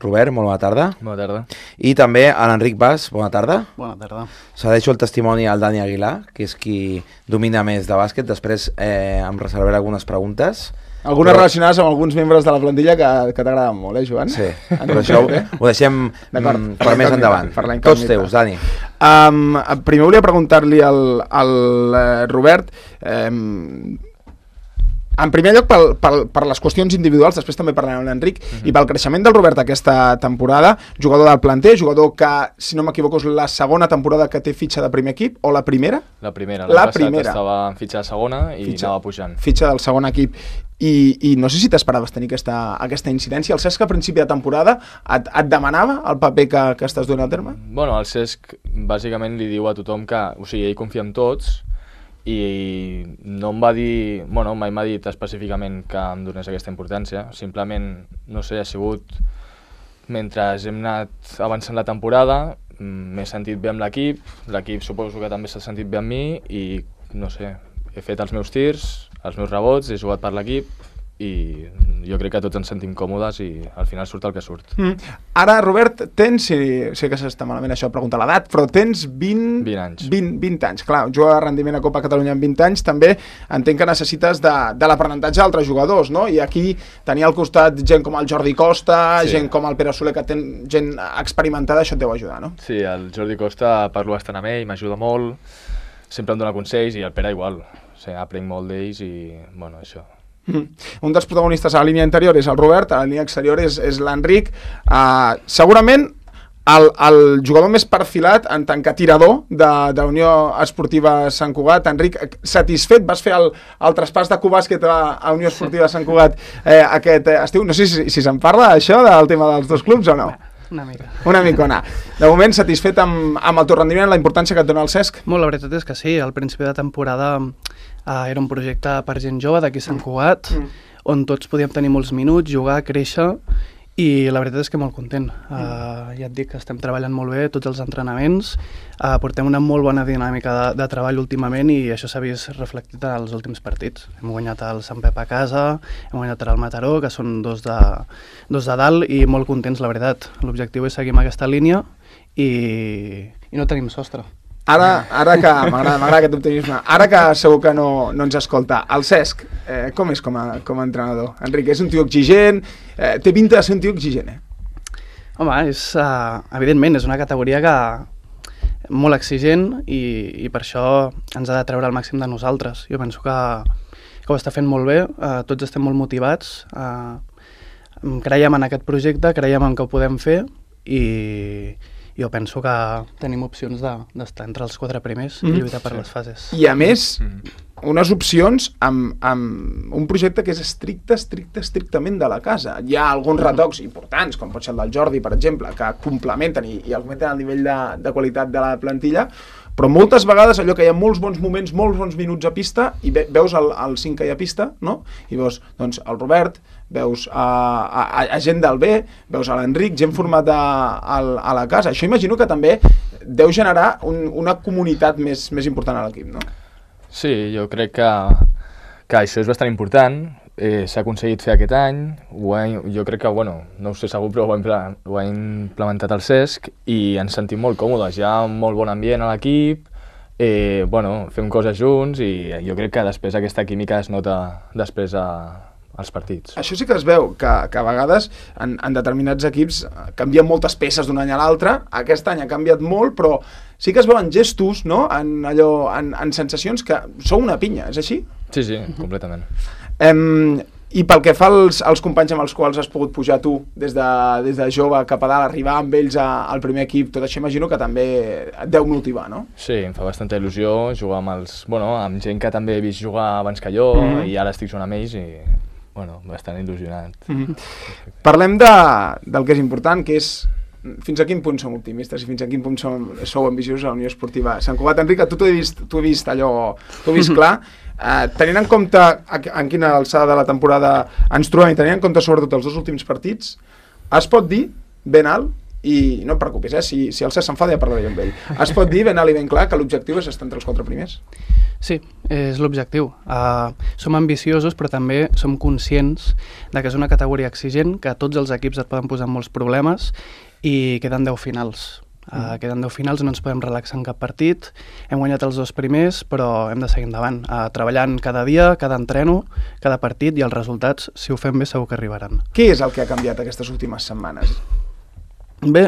Robert, molt bona tarda. Bona tarda. I també a l'Enric Bas, bona tarda. Bona tarda. Cedeixo el testimoni al Dani Aguilar, que és qui domina més de bàsquet. Després em reservaré algunes preguntes. Algunes relacionades amb alguns membres de la plantilla que t'agraden molt, Joan? Sí, però això ho deixem per més endavant. Tots teus, Dani. Primer volia preguntar-li al Robert, en primer lloc per les qüestions individuals, després també parlarem amb l'Enric, i pel creixement del Robert aquesta temporada, jugador del planter, jugador que, si no m'equivoco, és la segona temporada que té fitxa de primer equip, o la primera? La primera. L'any passat estava en fitxa de segona i anava pujant. Fitxa del segon equip. I no sé si t'esperaves tenir aquesta incidència. El Cesc a principi de temporada et demanava el paper que estàs donant a terme? Bueno, el Cesc bàsicament li diu a tothom que, o sigui, ell confia en tots, i no em va dir, bueno, mai m'ha dit específicament que em donés aquesta importància, simplement, no sé, ha sigut, mentre hem anat avançant la temporada, m'he sentit bé amb l'equip suposo que també s'ha sentit bé amb mi i, no sé, he fet els meus tirs, els meus rebots, he jugat per l'equip i jo crec que tots ens sentim còmodes i al final surt el que surt. Ara, Robert, tens, sé que s'està malament això de preguntar l'edat, però tens 20 anys. 20 anys, clar, jugar de rendiment a Copa Catalunya amb 20 anys, també entenc que necessites de l'aprenentatge d'altres jugadors, no? I aquí tenia al costat gent com el Jordi Costa, sí, gent com el Pere Soler, que té gent experimentada, això et deu ajudar, no? Sí, el Jordi Costa parlo bastant amb ell, m'ajuda molt, sempre em dona consells i el Pere igual, o sigui, aprenc molt d'ells i, bueno, això. Un dels protagonistes a la línia interior és el Robert, a la línia exterior és l'Enric. Segurament el jugador més perfilat en tant que tirador de Unió Esportiva Sant Cugat. Enric, satisfet? Vas fer el traspàs de Cubàsquet a Unió Esportiva Sant Cugat aquest estiu? No sé si se'n parla això del tema dels dos clubs o no? Una micona. De moment, satisfet amb el teu rendiment, la importància que et dona el Cesc? Molt, la veritat és que sí. Al principi de temporada era un projecte per gent jove d'aquí Sant Cugat, on tots podíem tenir molts minuts, jugar, créixer, i la veritat és que molt content. Ja et dic que estem treballant molt bé, tots els entrenaments, portem una molt bona dinàmica de treball últimament i això s'ha vist reflectit en els últims partits. Hem guanyat el Sant Pep a casa, hem guanyat el Mataró, que són dos de dalt, i molt contents, la veritat. L'objectiu és seguir amb aquesta línia i no tenim sostre. Ara que m'agrada aquest optimisme, ara que segur que no ens escolta, el Cesc, com és com a entrenador? Enric, és un tio exigent, té pinta de ser un tio exigent, Home, evidentment, és una categoria molt exigent i per això ens ha de treure el màxim de nosaltres. Jo penso que ho està fent molt bé, tots estem molt motivats, creiem en aquest projecte, creiem en què ho podem fer i jo penso que tenim opcions d'estar entre els 4 primers i lluitar per les fases. I a més, unes opcions amb un projecte que és estrictament de la casa. Hi ha alguns retocs importants, com pot ser el del Jordi, per exemple, que complementen i augmenten el nivell de qualitat de la plantilla, però moltes vegades allò que hi ha molts bons moments, molts bons minuts a pista, i veus el 5 que hi ha a pista, no? I veus doncs, el Robert, veus a gent del B, veus a l'Enric, gent format a la casa. Això imagino que també deu generar una comunitat més important a l'equip, no? Sí, jo crec que això és bastant important. S'ha aconseguit fer aquest any, jo crec que, bueno, no ho sé segur, però ho ha implementat el Cesc i ens sentim molt còmodes, hi ha un molt bon ambient a l'equip, fem coses junts i jo crec que després aquesta química es nota després als partits. Això sí que es veu, que a vegades en determinats equips canvien moltes peces d'un any a l'altre, aquest any ha canviat molt, però sí que es veuen gestos, no? En sensacions que sou una pinya, és així? Sí, completament. I pel que fa als companys amb els quals has pogut pujar tu des de jove cap a dalt, arribar amb ells al primer equip, tot això imagino que també et deu motivar, no? Sí, em fa bastanta il·lusió jugar amb gent que també he vist jugar abans que jo i ara estic jugant amb ells i bastant il·lusionat. Parlem del que és important, que és fins a quin punt som optimistes i fins a quin punt sou ambiciosos a la Unió Esportiva Sant Cugat. Enric, tu t'ho he vist clar. Tenint en compte en quina alçada de la temporada ens trobem i tenint en compte sobretot els 2 últims partits, es pot dir ben alt, i no et preocupis, si el Cesc s'enfada ja parlaré amb ell, es pot dir ben alt i ben clar que l'objectiu és estar entre els 4 primers? Sí, és l'objectiu. Som ambiciosos, però també som conscients de que és una categoria exigent, que tots els equips et poden posar molts problemes i queden 10 finals. Queden 10 finals, no ens podem relaxar en cap partit. Hem guanyat els 2 primers, però hem de seguir endavant, treballant cada dia, cada entreno, cada partit, i els resultats, si ho fem bé, segur que arribaran. Què és el que ha canviat aquestes últimes setmanes? Bé,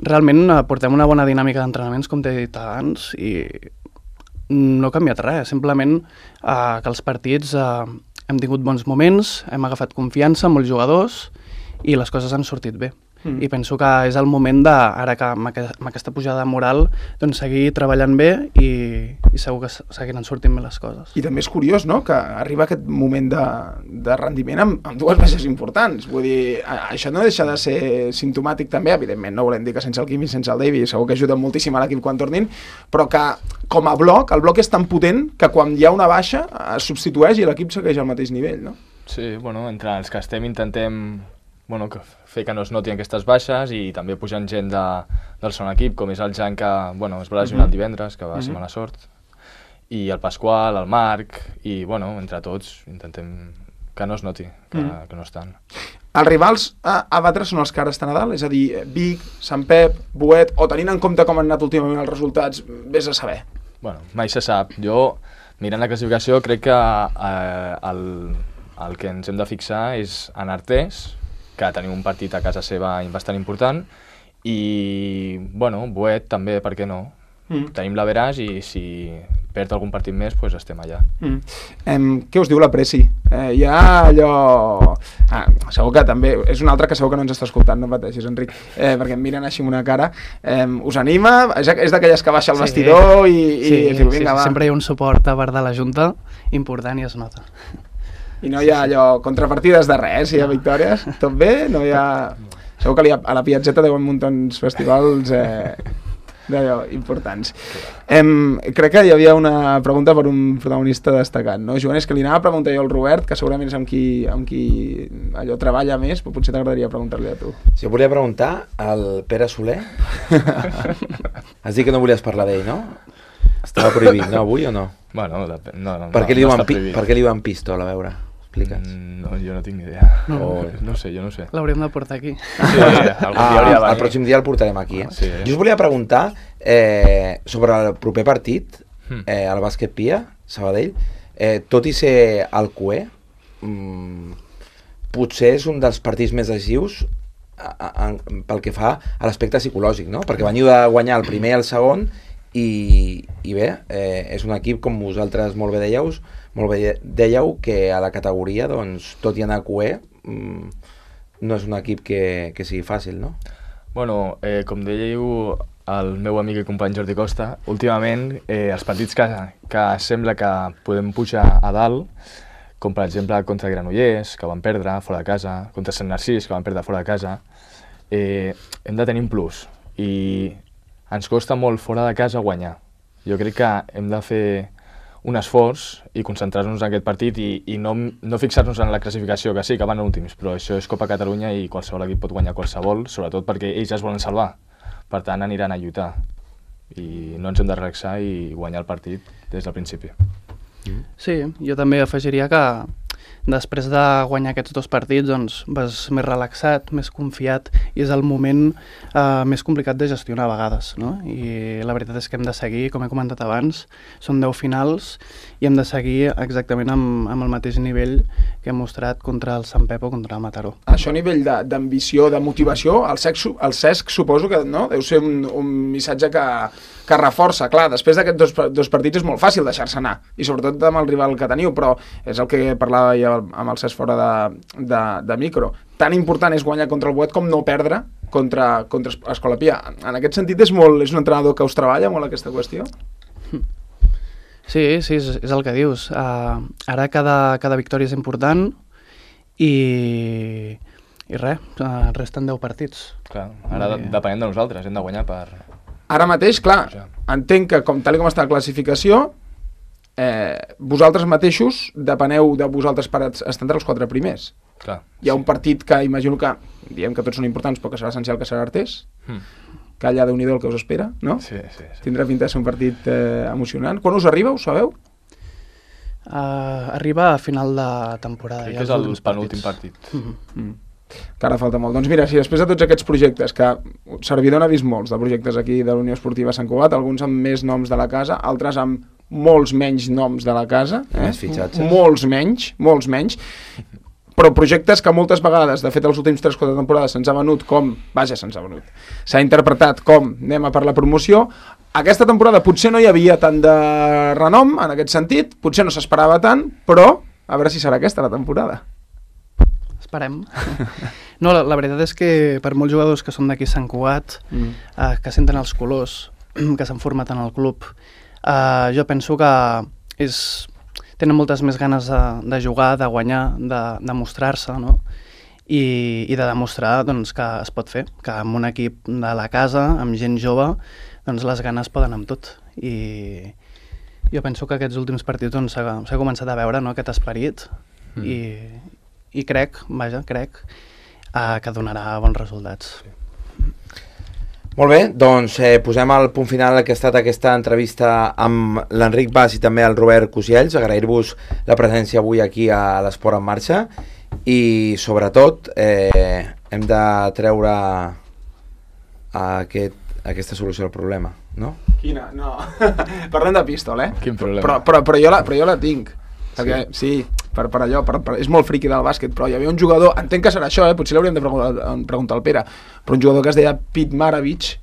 realment portem una bona dinàmica d'entrenaments, com t'he dit abans, i no ha canviat res, simplement que els partits hem tingut bons moments, hem agafat confiança amb molts jugadors i les coses han sortit bé. I penso que és el moment ara que amb aquesta pujada moral, doncs seguir treballant bé i segur que seguiran sortint bé les coses. I també és curiós, no?, que arriba aquest moment de rendiment amb 2 baixes importants. Vull dir, això no deixa de ser simptomàtic també, evidentment, no volem dir que sense el Quim i sense el Davi segur que ajuden moltíssim a l'equip quan tornin, però que com a bloc, el bloc és tan potent que quan hi ha una baixa es substitueix i l'equip segueix al mateix nivell, no? Sí, bueno, entre els que estem intentem fer que no es notin aquestes baixes i també pujant gent del segon equip, com és el Jan, que es va lesionar el divendres, que va ser mala sort, i el Pasqual, el Marc, i entre tots intentem que no es noti, que no estan. Els rivals a batre són els cares de Nadal, és a dir, Vic, Sant Pep, Boet, o tenint en compte com han anat últimament els resultats, vés a saber. Bueno, mai se sap. Jo, mirant la classificació, crec que el que ens hem de fixar és en Artés, que tenim un partit a casa seva bastant important, i, Boet també, per què no? Tenim l'Averàs i si perd algun partit més, doncs estem allà. Què us diu la Presi? Hi ha allò... segur que també... És un altre que segur que no ens està escoltant, no pateixis, Enric, perquè em miren així amb una cara. Us anima? És d'aquelles que baixa al vestidor i diu, vinga, va. Sempre hi ha un suport a part de la Junta important i es nota. I no hi ha allò, contrapartides de res, si hi ha victòries, tot bé? No hi ha... Segur que a la Piazzetta deuen muntar uns festivals d'allò importants. Crec que hi havia una pregunta per un protagonista destacat, no? Joan, és que li anava a preguntar jo al Robert, que segurament és amb qui allò treballa més, però potser t'agradaria preguntar-li a tu. Si jo volia preguntar al Pere Soler. Has dit que no volies parlar d'ell, no? Estava prohibit, no, avui o no? Bueno, no. Per què li diuen pistola, a veure? Expliques. No, jo no tinc ni idea. No sé, jo no sé. L'hauríem de portar aquí. Sí, algun dia hauria de venir. El pròxim dia el portarem aquí. Sí. Jo us volia preguntar sobre el proper partit, el Bàsquet Pia, Sabadell, tot i ser al QE, potser és un dels partits més decisius pel que fa a l'aspecte psicològic, no? Perquè veniu de guanyar el primer i el segon i bé, és un equip, com vosaltres molt bé dèieu, que a la categoria, doncs, tot i anar a QE, no és un equip que sigui fàcil, no? Bueno, com dèieu el meu amic i company Jordi Costa, últimament els partits que sembla que podem pujar a dalt, com per exemple contra Granollers, que van perdre fora de casa, contra Sant Narcís, que van perdre fora de casa, hem de tenir un plus i ens costa molt fora de casa guanyar. Jo crec que hem de fer un esforç i concentrar-nos en aquest partit i no fixar-nos en la classificació, que sí, que van últims, però això és Copa Catalunya i qualsevol equip pot guanyar qualsevol, sobretot perquè ells es volen salvar. Per tant, aniran a lluitar i no ens hem de relaxar i guanyar el partit des del principi. Sí, jo també afegiria que després de guanyar aquests 2 partits doncs vas més relaxat, més confiat i és el moment més complicat de gestionar a vegades, no? I la veritat és que hem de seguir, com he comentat abans, són 10 finals i hem de seguir exactament amb el mateix nivell que hem mostrat contra el Sant Pep o contra el Mataró. Això a nivell d'ambició, de motivació, el Cesc suposo que no? Deu ser un missatge que reforça. Clar, després d'aquests 2 partits és molt fàcil deixar-se anar, i sobretot amb el rival que teniu, però és el que parlava ja amb el Cesc fora de micro. Tan important és guanyar contra el Boet com no perdre contra Escola Pia. En aquest sentit és un entrenador que us treballa molt aquesta qüestió? Sí, és el que dius. Ara cada victòria és important i res, resten 10 partits. Clar, ara depenem de nosaltres, hem de guanyar per... Ara mateix, clar, entenc que tal com està la classificació, vosaltres mateixos depeneu de vosaltres per estar entre els 4 primers. Clar, hi ha un partit que imagino que, diem que tots són importants, però que serà essencial, que serà Artés, que allà Déu-n'hi-do el que us espera, no? Sí. Tindrà pinta de ser un partit emocionant. Quan us arriba, ho sabeu? Arriba a final de temporada. Crec que és el penúltim partit. Que ara falta molt. Doncs mira, si després de tots aquests projectes, que Servidor n'ha vist molts de projectes aquí de l'Unió Esportiva Sant Cugat, alguns amb més noms de la casa, altres amb molts menys noms de la casa, Més fitxatges. molts menys, però projectes que moltes vegades, de fet els últims 3-4 temporades se'ns ha venut com, s'ha interpretat com anem a per la promoció. Aquesta temporada potser no hi havia tant de renom en aquest sentit, potser no s'esperava tant, però a veure si serà aquesta la temporada. Esperem. No, la veritat és que per molts jugadors que són d'aquí Sant Cugat, que senten els colors, que s'han format en el club, jo penso que tenen moltes més ganes de jugar, de guanyar, de mostrar-se, no? I de demostrar doncs, que es pot fer, que amb un equip de la casa, amb gent jove, doncs les ganes poden amb tot. I jo penso que aquests últims partits doncs, s'ha començat a veure, no, aquest esperit i crec que donarà bons resultats. Molt bé, doncs posem el punt final que ha estat aquesta entrevista amb l'Enric Bas i també el Robert Cosiells. Agrair-vos la presència avui aquí a l'Esport en Marxa i sobretot hem de treure aquesta solució al problema, no? Quina? No. Parlem de pistol, Quin problema? Però jo la tinc. Perquè, sí, per allò, és molt friqui del bàsquet, però hi havia un jugador, entenc que serà això, potser l'hauríem de preguntar al Pere, però un jugador que es deia Pete Maravich,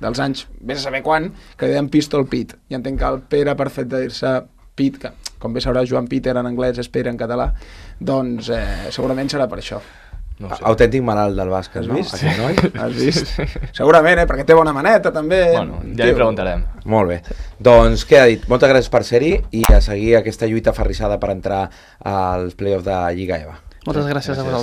dels anys, vés a saber quan, que deien Pistol Pete, i entenc que el Pere, per fet de dir-se Pete, que com bé sabrà Joan Peter en anglès és Pere en català, doncs segurament serà per això. No sé. Autèntic malalt del bàsquet, Has no? vist? Aquest noi? Has vist? Segurament, perquè té bona maneta, també. Bueno, ja li preguntarem. Molt bé. Doncs queda dit. Moltes gràcies per ser-hi i a seguir aquesta lluita aferrissada per entrar als play-offs de Lliga EVA. Moltes gràcies a vosaltres.